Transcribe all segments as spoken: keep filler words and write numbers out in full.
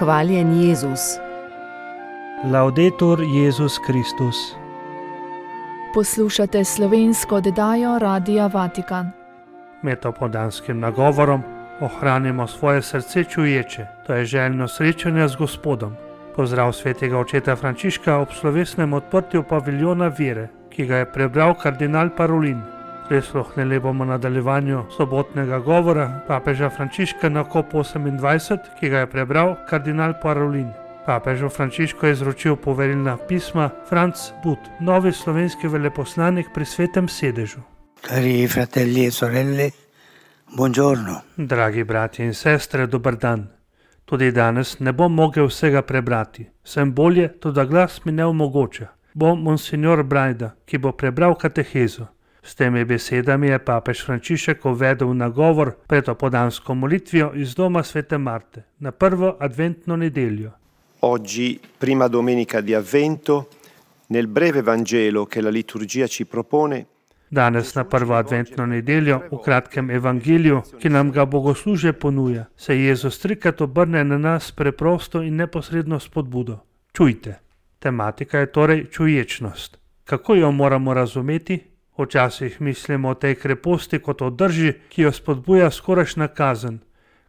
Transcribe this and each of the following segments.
Hvaljen Jezus. Laudetur Jezus Kristus. Poslušate slovensko oddajo Radia Vatikan. Med opoldanskim nagovorom ohranimo svoje srce čuječe, to je željno srečanje z Gospodom. Pozdrav svetega očeta Frančiška ob slovesnem odprtju paviljona vere, ki ga je prebral kardinal Parolin. Prisluhnili bomo nadaljevanju sobotnega govora papeža Frančiška na kop osemindvajset, ki ga je prebral kardinal Parolin. Papežu Frančišku je izročil poverilna pisma Franc But, novi slovenski veleposlanik pri Svetem sedežu. Cari fratelli e sorelle, buongiorno. Dragi bratje in sestre, dober dan. Tudi danes ne bom mogel vsega prebrati. Sem bolje, tudi glas mi ne omogoča. Bom monsignor Brajda, ki bo prebral katehezo. S temi besedami je papež Frančišek uvedel nagovor pred opoldansko molitvijo iz doma svete Marte na prvo adventno nedeljo. Oggi, prima domenica di Avvento, nel breve Vangelo che la liturgia ci propone, Danes na prvo adventno nedeljo, v kratkem evangeliju, ki nam ga bogoslužje ponuja, se Jezus trikrat obrne na nas preprosto in neposredno spodbudo. Čujte. Tematika je torej čuječnost. Kako jo moramo razumeti? Včasih mislimo o tej kreposti kot o drži, ki jo spodbuja skorajšnja kazen,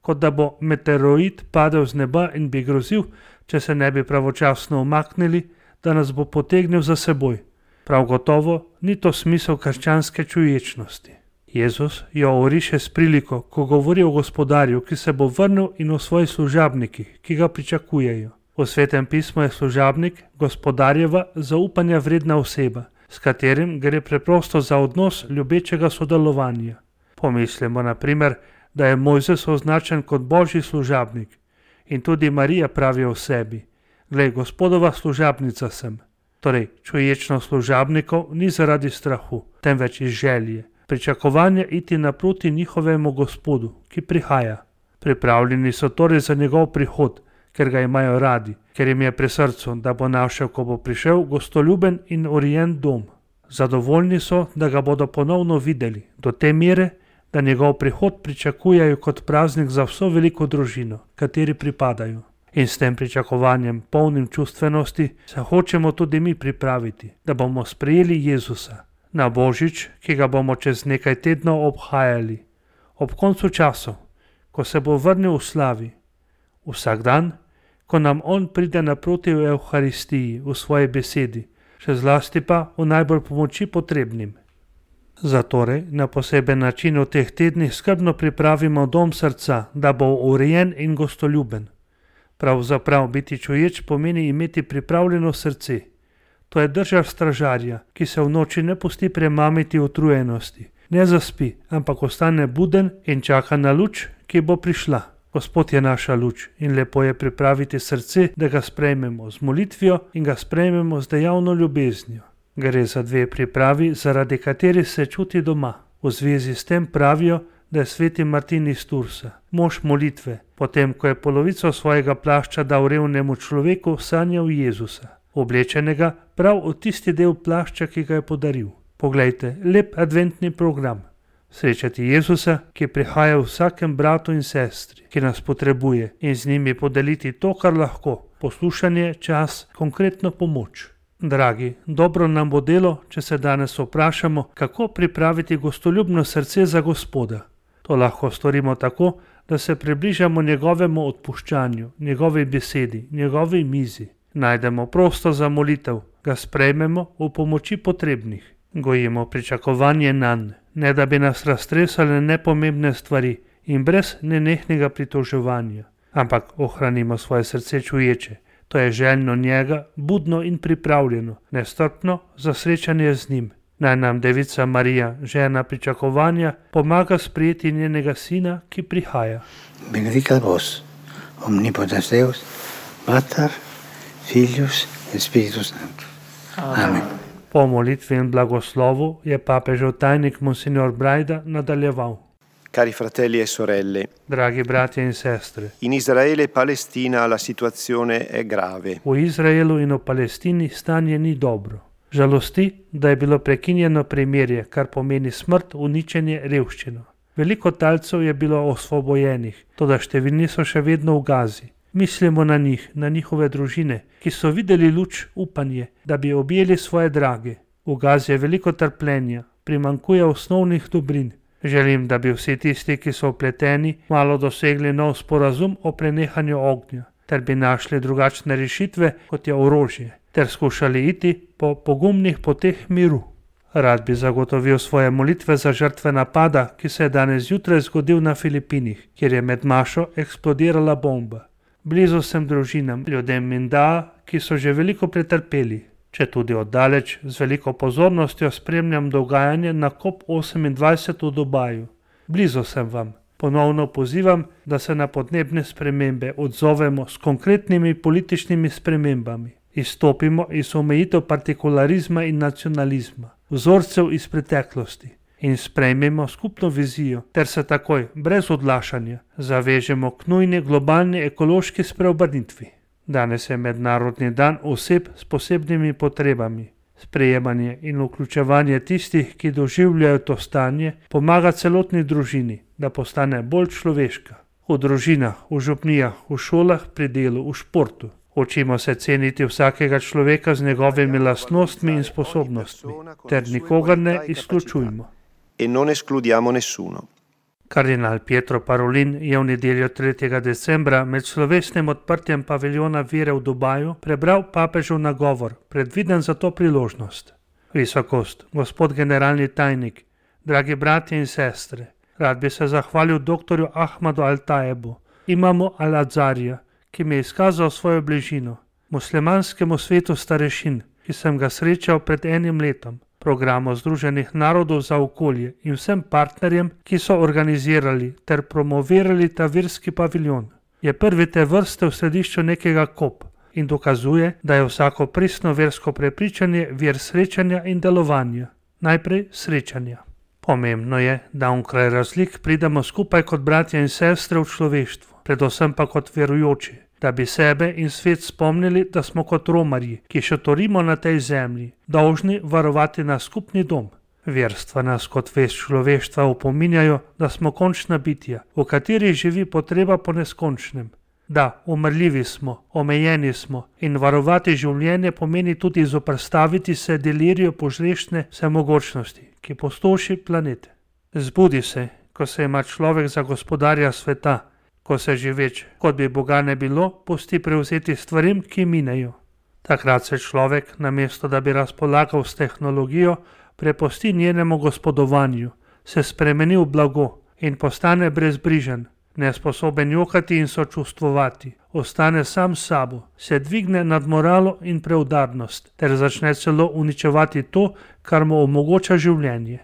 kot da bo meteoroid padel z neba in bi grozil, če se ne bi pravočasno umaknili, da nas bo potegnil za seboj. Prav gotovo ni to smisel krščanske čuječnosti. Jezus jo oriše s priliko, ko govori o gospodarju, ki se bo vrnil, in o svojih služabnikih, ki ga pričakujejo. V Svetem pismu je služabnik gospodarjeva zaupanja vredna oseba, s katerim gre preprosto za odnos ljubečega sodelovanja. Pomislimo na primer, da je Mojzes označen kot božji služabnik in tudi Marija pravi o sebi: glej, Gospodova služabnica sem. Torej, čuječnost služabnikov ni zaradi strahu, temveč iz želje, pričakovanja iti naproti njihovemu Gospodu, ki prihaja. Pripravljeni so torej za njegov prihod, ker ga imajo radi, ker jim je pri srcu, da bo našel, ko bo prišel, gostoljuben in urejen dom. Zadovoljni so, da ga bodo ponovno videli, do te mere, da njegov prihod pričakujejo kot praznik za vso veliko družino, kateri pripadajo. In s tem pričakovanjem, polnim čustvenosti, se hočemo tudi mi pripraviti, da bomo sprejeli Jezusa na Božič, ki ga bomo čez nekaj tednov obhajali. Ob koncu časov, ko se bo vrnil v slavi. Vsak dan, ko nam on pride naproti v Evharistiji, v svoji besedi, še zlasti pa v najbolj pomoči potrebnim. Zatorej na poseben način v teh tednih skrbno pripravimo dom srca, da bo urejen in gostoljuben. Pravzaprav biti čuječ pomeni imeti pripravljeno srce. To je drža stražarja, ki se v noči ne pusti premamiti utrujenosti. Ne zaspi, ampak ostane buden in čaka na luč, ki bo prišla. Gospod je naša luč in lepo je pripraviti srce, da ga sprejmemo z molitvijo in ga sprejmemo z dejavno ljubeznijo. Gre za dve pripravi, zaradi kateri se čuti doma. V zvezi s tem pravijo, da je sveti Martin iz Tursa, mož molitve, potem ko je polovico svojega plašča dal revnemu človeku, sanjal Jezusa, oblečenega prav v tisti del plašča, ki ga je podaril. Poglejte, lep adventni program. Srečati Jezusa, ki prihaja v vsakem bratu in sestri, ki nas potrebuje, in z njimi podeliti to, kar lahko, poslušanje, čas, konkretno pomoč. Dragi, dobro nam bo delo, če se danes vprašamo, kako pripraviti gostoljubno srce za Gospoda. To lahko storimo tako, da se približamo njegovemu odpuščanju, njegovi besedi, njegovi mizi. Najdemo prostor za molitev, ga sprejmemo v pomoči potrebnih. Gojimo pričakovanje nanj, ne da bi nas raztresale nepomembne stvari in brez nenehnega pritoževanja. Ampak ohranimo svoje srce čuječe, to je željno njega, budno in pripravljeno, nestrpno za srečanje z njim. Naj nam Devica Marija, žena pričakovanja, pomaga sprejeti njenega sina, ki prihaja. Benedicat vos, omnipotens Deus, Pater, Filius et Spiritus Sanctus. Amen. Po molitvi in blagoslovu je papežev tajnik monsignor Brajda nadaljeval. Cari fratelli e sorelle, Dragi bratje in sestre, in Israele e Palestina la situazione è grave. v Izraelu in v Palestini stanje ni dobro. Žalosti, da je bilo prekinjeno premirje, kar pomeni smrt, uničenje, revščino. Veliko talcev je bilo osvobojenih, toda številni so še vedno v Gazi. Mislimo na njih, na njihove družine, ki so videli luč upanje, da bi objeli svoje drage. V Gazi je veliko trpljenja, primanjkuje osnovnih dobrin. Želim, da bi vsi tisti, ki so vpleteni, malo dosegli nov sporazum o prenehanju ognja, ter bi našli drugačne rešitve, kot je orožje, ter skušali iti po pogumnih poteh miru. Rad bi zagotovil svoje molitve za žrtve napada, ki se je danes zjutraj zgodil na Filipinih, kjer je med mašo eksplodirala bomba. Blizu sem družinam, ljudem Mindaa, ki so že veliko pretrpeli. Če tudi oddaleč, z veliko pozornostjo spremljam dogajanje na COP osemindvajset v Dubaju. Blizu sem vam. Ponovno pozivam, da se na podnebne spremembe odzovemo s konkretnimi političnimi spremembami. Izstopimo iz omejitev partikularizma in nacionalizma, vzorcev iz preteklosti in sprejmemo skupno vizijo ter se takoj, brez odlašanja, zavežemo k nujni globalni ekološki spreobrnitvi. Danes je mednarodni dan oseb s posebnimi potrebami. Sprejemanje in vključevanje tistih, ki doživljajo to stanje, pomaga celotni družini, da postane bolj človeška. V družinah, v župnijah, v šolah, pri delu, v športu. Učimo se ceniti vsakega človeka z njegovimi lastnostmi in sposobnostmi, ter nikogar ne izključujmo. E non escludiamo nessuno. Kardinal Pietro Parolin je v nedeljo tretjega decembra med slovesnim odprtjem paviljona vere v Dubaju prebral papežev nagovor, predviden za to priložnost. Visokost, gospod generalni tajnik, dragi bratje in sestre, rad bi se zahvalil doktorju Ahmadu Al-Tajebu, imamu Al-Adzarija, ki mi je izkazal svojo bližino, muslimanskemu svetu starešin, ki sem ga srečal pred enim letom, programu Združenih narodov za okolje in vsem partnerjem, ki so organizirali ter promovirali ta verski paviljon. Je prvi te vrste v središču nekega COP in dokazuje, da je vsako pristno versko prepričanje vir srečanja in delovanja. Najprej srečanja. Pomembno je, da onkraj razlik pridemo skupaj kot bratje in sestre v človeštvu, predvsem pa kot verujoči, da bi sebe in svet spomnili, da smo kot romarji, ki šotorimo na tej zemlji, dolžni varovati naš skupni dom. Verstva nas kot vest človeštva opominjajo, da smo končna bitja, v katerih živi potreba po neskončnem. Da, umrljivi smo, omejeni smo in varovati življenje pomeni tudi zoperstaviti se deliriju požrešne vsemogočnosti, ki postoši planet. Zbudi se, ko se ima človek za gospodarja sveta, ko se živeč, kot bi Boga ne bilo, pusti prevzeti stvarim, ki minejo. Takrat se človek, namesto da bi razpolagal s tehnologijo, prepusti njenemu gospodovanju, se spremeni v blago in postane brezbrižen, nesposoben jokati in sočustvovati, ostane sam s sabo, se dvigne nad moralo in preudarnost, ter začne celo uničevati to, kar mu omogoča življenje.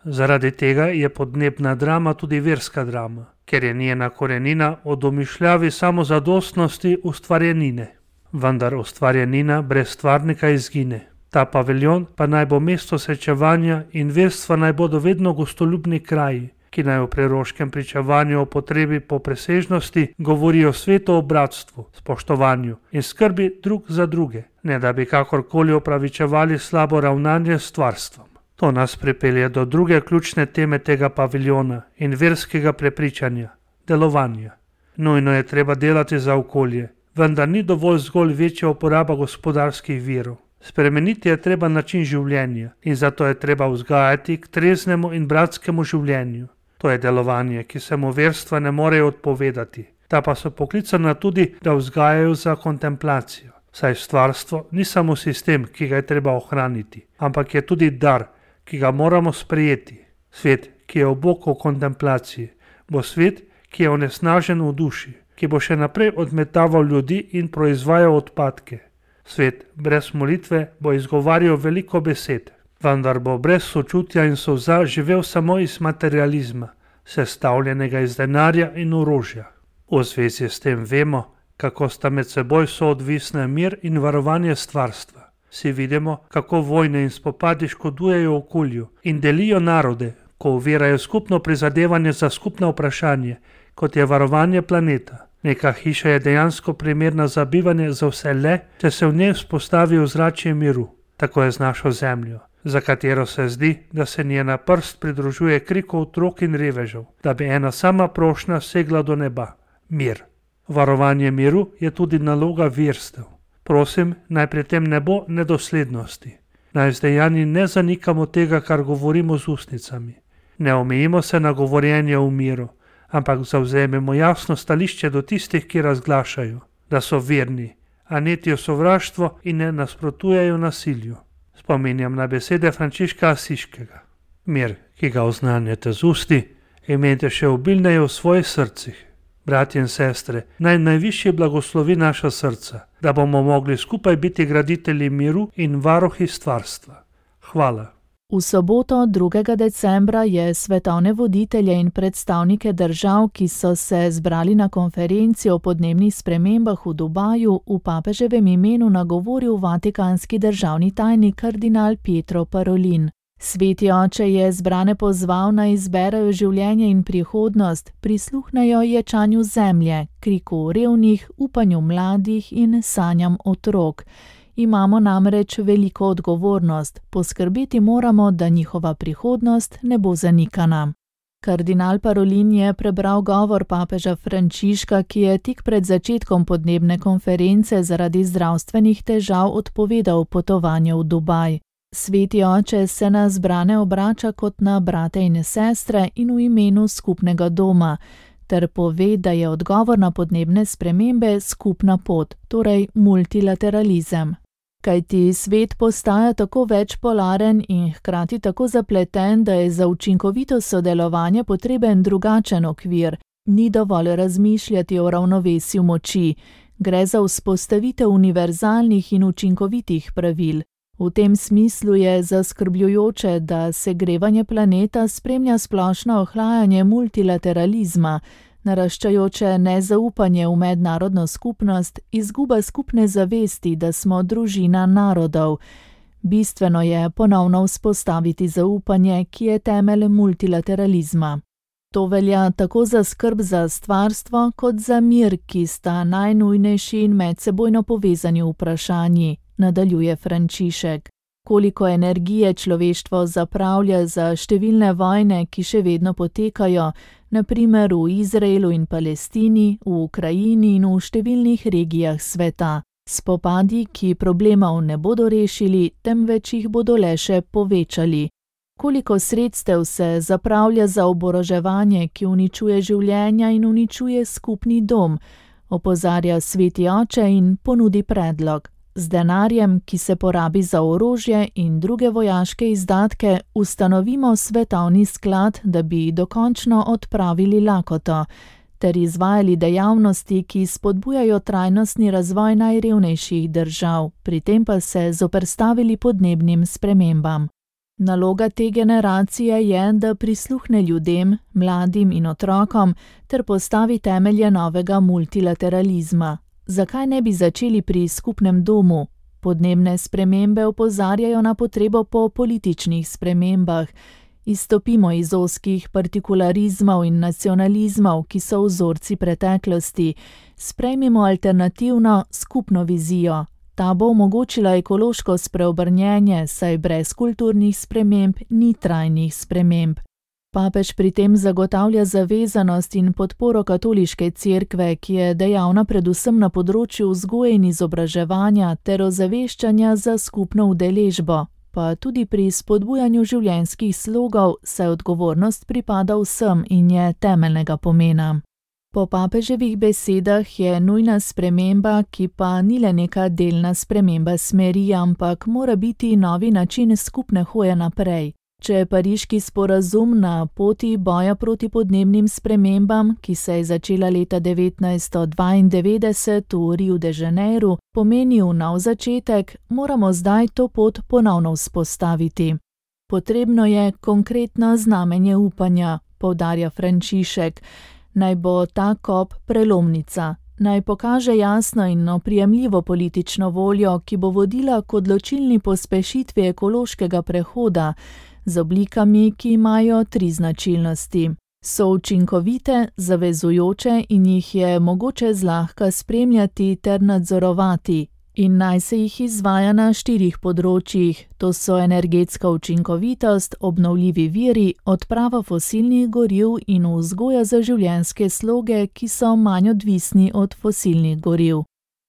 Zaradi tega je podnebna drama tudi verska drama, ker je njena korenina v domišljavi samozadostnosti ustvarjenine. Vendar ustvarjenina brez stvarnika izgine. Ta paviljon pa naj bo mesto srečevanja in verstva naj bodo vedno gostoljubni kraji, ki naj v preroškem pričevanju o potrebi po presežnosti govorijo svetu o bratstvu, spoštovanju in skrbi drug za druge, ne da bi kakorkoli opravičevali slabo ravnanje s stvarstvom. To nas pripelje do druge ključne teme tega paviljona in verskega prepričanja, delovanja. Nujno je treba delati za okolje, vendar ni dovolj zgolj večja uporaba gospodarskih virov. Spremeniti je treba način življenja in zato je treba vzgajati k treznemu in bratskemu življenju. To je delovanje, ki se mu verstva ne morejo odpovedati. Ta pa so poklicana tudi, da vzgajajo za kontemplacijo. Saj stvarstvo ni samo sistem, ki ga je treba ohraniti, ampak je tudi dar, ki ga moramo sprejeti. Svet, ki je obok v kontemplaciji, bo svet, ki je onesnažen v duši, ki bo še naprej odmetaval ljudi in proizvajal odpadke. Svet brez molitve bo izgovarjal veliko besed, vendar bo brez sočutja in solza živel samo iz materializma, sestavljenega iz denarja in orožja. V zvezi s tem vemo, kako sta med seboj soodvisna mir in varovanje stvarstva. Si vidimo, kako vojne in spopadi škodujejo okolju in delijo narode, ko ovirajo skupno prizadevanje za skupno vprašanje, kot je varovanje planeta. Neka hiša je dejansko primerna za bivanje za vse le, če se v njej vzpostavi ozračje miru. Tako je z našo zemljo, za katero se zdi, da se njena prst pridružuje kriku otrok in revežev, da bi ena sama prošnja segla do neba. Mir. Varovanje miru je tudi naloga verstev. Prosim, naj pri tem ne bo nedoslednosti. Naj z dejanji ne zanikamo tega, kar govorimo z ustnicami. Ne omejimo se na govorjenje v miru, ampak zavzememo jasno stališče do tistih, ki razglašajo, da so verni, a netijo sovraštvo in ne nasprotujejo nasilju. Spominjam na besede Frančiška Asiškega. Mir, ki ga oznanjate z usti, imejte še obilneje v svojih srcih. Bratje in sestre, naj najvišji blagoslovi naša srca, da bomo mogli skupaj biti graditelji miru in varuhi stvarstva. Hvala. V soboto drugega decembra je svetovne voditelje in predstavnike držav, ki so se zbrali na konferenci o podnebnih spremembah v Dubaju, v papeževem imenu nagovoril vatikanski državni tajnik kardinal Pietro Parolin. Sveti oče je zbrane pozval, naj izberejo življenje in prihodnost, prisluhnejo ječanju zemlje, kriku revnih, upanju mladih in sanjam otrok. Imamo namreč veliko odgovornost, poskrbeti moramo, da njihova prihodnost ne bo zanikana. Kardinal Parolin je prebral govor papeža Frančiška, ki je tik pred začetkom podnebne konference zaradi zdravstvenih težav odpovedal potovanje v Dubaj. Sveti oče se na zbrane obrača kot na brate in sestre in v imenu skupnega doma, ter pove, da je odgovor na podnebne spremembe skupna pot, torej multilateralizem. Kajti svet postaja tako večpolaren in hkrati tako zapleten, da je za učinkovito sodelovanje potreben drugačen okvir. Ni dovolj razmišljati o ravnovesju moči, gre za vzpostavitev univerzalnih in učinkovitih pravil. V tem smislu je zaskrbljujoče, da segrevanje planeta spremlja splošno ohlajanje multilateralizma, naraščajoče nezaupanje v mednarodno skupnost, izguba skupne zavesti, da smo družina narodov. Bistveno je ponovno vzpostaviti zaupanje, ki je temelj multilateralizma. To velja tako za skrb za stvarstvo, kot za mir, ki sta najnujnejši in medsebojno povezani vprašanji, nadaljuje Frančišek. Koliko energije človeštvo zapravlja za številne vojne, ki še vedno potekajo, na primer v Izraelu in Palestini, v Ukrajini in v številnih regijah sveta. Spopadi, ki problemov ne bodo rešili, temveč jih bodo le še povečali. Koliko sredstev se zapravlja za oboroževanje, ki uničuje življenja in uničuje skupni dom, opozarja sveti oče in ponudi predlog. Z denarjem, ki se porabi za orožje in druge vojaške izdatke, ustanovimo svetovni sklad, da bi dokončno odpravili lakoto, ter izvajali dejavnosti, ki spodbujajo trajnostni razvoj najrevnejših držav, pri tem pa se zoperstavili podnebnim spremembam. Naloga te generacije je, da prisluhne ljudem, mladim in otrokom, ter postavi temelje novega multilateralizma. Zakaj ne bi začeli pri skupnem domu? Podnebne spremembe opozarjajo na potrebo po političnih spremembah. Izstopimo iz ozkih partikularizmov in nacionalizmov, ki so vzorci preteklosti. Sprejmimo alternativno, skupno vizijo. Ta bo omogočila ekološko spreobrnjenje, saj brez kulturnih sprememb ni trajnih sprememb. Papež pri tem zagotavlja zavezanost in podporo katoliške cerkve, ki je dejavna predvsem na področju vzgoje in izobraževanja ter ozaveščanja za skupno udeležbo, pa tudi pri spodbujanju življenjskih slogov, saj odgovornost pripada vsem in je temeljnega pomena. Po papeževih besedah je nujna sprememba, ki pa ni le neka delna sprememba smeri, ampak mora biti novi način skupne hoje naprej. Če je pariški sporazum na poti boja proti podnebnim spremembam, ki se je začela leta devetnajststo dvaindevetdeset v Riu de Janeiru, pomenil nov začetek, moramo zdaj to pot ponovno vzpostaviti. Potrebno je konkretno znamenje upanja, poudarja Frančišek. Naj bo ta kop prelomnica. Naj pokaže jasno in oprijemljivo politično voljo, ki bo vodila k odločilni pospešitvi ekološkega prehoda, z oblikami, ki imajo tri značilnosti. So učinkovite, zavezujoče in jih je mogoče zlahka spremljati ter nadzorovati. In naj se jih izvaja na štirih področjih, to so energetska učinkovitost, obnovljivi viri, odprava fosilnih goriv in vzgoja za življenjske sloge, ki so manj odvisni od fosilnih goriv.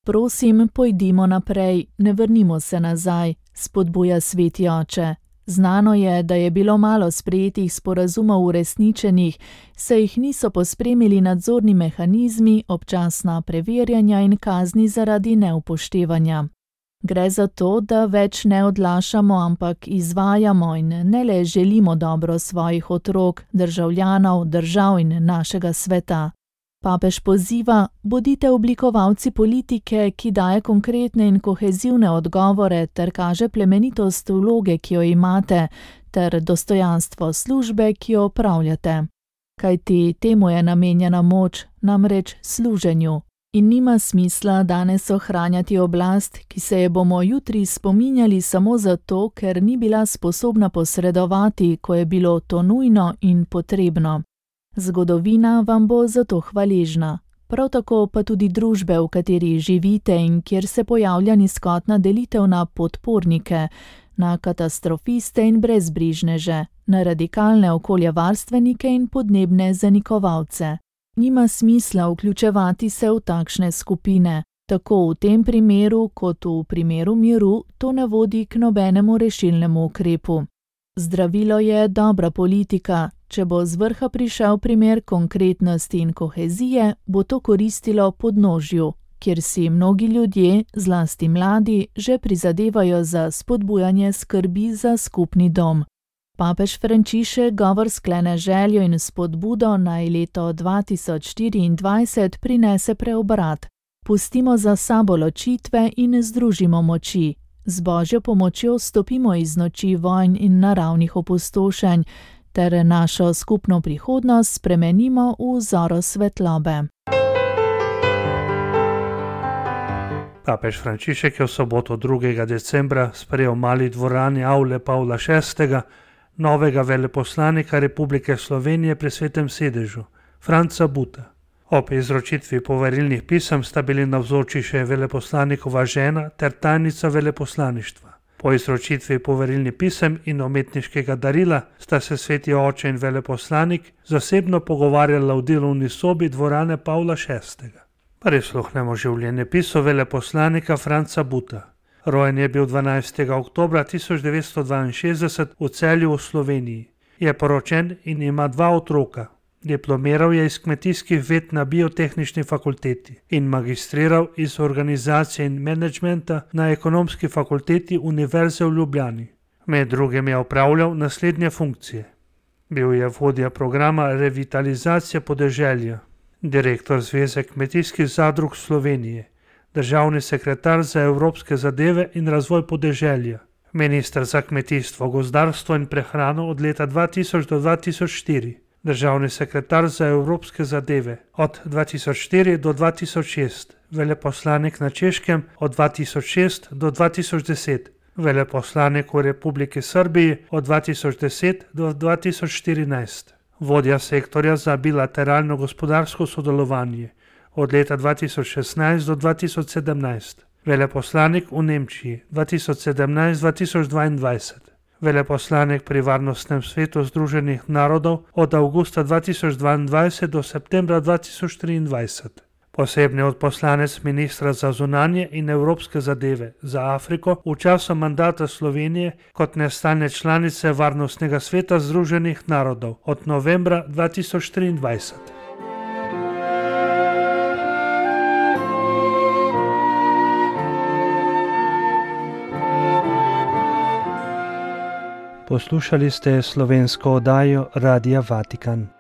Prosim, pojdimo naprej, ne vrnimo se nazaj, spodbuja sveti oče. Znano je, da je bilo malo sprejetih sporazumov uresničenih, saj jih niso pospremili nadzorni mehanizmi, občasna preverjanja in kazni zaradi neupoštevanja. Gre za to, da več ne odlašamo, ampak izvajamo in ne le želimo dobro svojih otrok, državljanov, držav in našega sveta. Papež poziva, bodite oblikovalci politike, ki daje konkretne in kohezivne odgovore ter kaže plemenitost vloge, ki jo imate, ter dostojanstvo službe, ki jo opravljate. Kajti temu je namenjena moč, namreč služenju. In nima smisla danes ohranjati oblast, ki se je bomo jutri spominjali samo zato, ker ni bila sposobna posredovati, ko je bilo to nujno in potrebno. Zgodovina vam bo zato hvaležna. Prav tako pa tudi družbe, v kateri živite in kjer se pojavlja nizkotna delitev na podpornike, na katastrofiste in brezbrižneže, na radikalne okoljevarstvenike in podnebne zanikovalce. Nima smisla vključevati se v takšne skupine. Tako v tem primeru, kot v primeru miru, to ne vodi k nobenemu rešilnemu ukrepu. Zdravilo je dobra politika. Če bo z vrha prišel primer konkretnosti in kohezije, bo to koristilo podnožju, kjer si mnogi ljudje, zlasti mladi, že prizadevajo za spodbujanje skrbi za skupni dom. Papež Frančišek govor sklene željo in spodbudo, naj leto dva tisoč štiriindvajset prinese preobrat. Pustimo za sabo ločitve in združimo moči. Z Božjo pomočjo stopimo iz noči vojn in naravnih opustošenj, ter našo skupno prihodnost spremenimo v zoro svetlobe. Papež Frančišek je v soboto drugega decembra sprejel v mali dvorani avle Pavla šestega novega veleposlanika Republike Slovenije pri Svetem sedežu, Franca Buta. Ob izročitvi poverilnih pisem sta bili navzoči še veleposlanikova žena ter tajnica veleposlaništva. Po izročitvi poverilnih pisem in umetniškega darila sta se sveti oče in veleposlanik zasebno pogovarjala v delovni sobi dvorane Pavla šestega. Prisluhnemo življenjepisu veleposlanika Franca Buta. Rojen je bil dvanajstega oktobra tisoč devetsto dvainšestdeset v Celju v Sloveniji. Je poročen in ima dva otroka. Diplomiral je iz kmetijskih ved na biotehnični fakulteti in magistriral iz organizacije in menedžmenta na ekonomski fakulteti Univerze v Ljubljani. Med drugim je opravljal naslednje funkcije. Bil je vodja programa revitalizacije podeželja, direktor Zveze kmetijskih zadrug Slovenije, državni sekretar za evropske zadeve in razvoj podeželja, minister za kmetijstvo, gozdarstvo in prehrano od leta dva tisoč do dva tisoč štiri, državni sekretar za evropske zadeve od dva tisoč štiri do dva tisoč šest, veleposlanik na Češkem od dva tisoč šest do dva tisoč deset, veleposlanik v Republiki Srbiji od dva tisoč deset do dva tisoč štirinajst, vodja sektorja za bilateralno gospodarsko sodelovanje od leta dva tisoč šestnajst do dva tisoč sedemnajst, veleposlanik v Nemčiji dva tisoč sedemnajst do dva tisoč dvaindvajset, veleposlanik pri Varnostnem svetu Združenih narodov od avgusta dva tisoč dvaindvajset do septembra dva tisoč triindvajset, posebni odposlanec ministra za zunanje in evropske zadeve za Afriko v času mandata Slovenije kot nestalne članice Varnostnega sveta Združenih narodov od novembra dva tisoč triindvajset. Poslušali ste slovensko oddajo Radia Vatikan.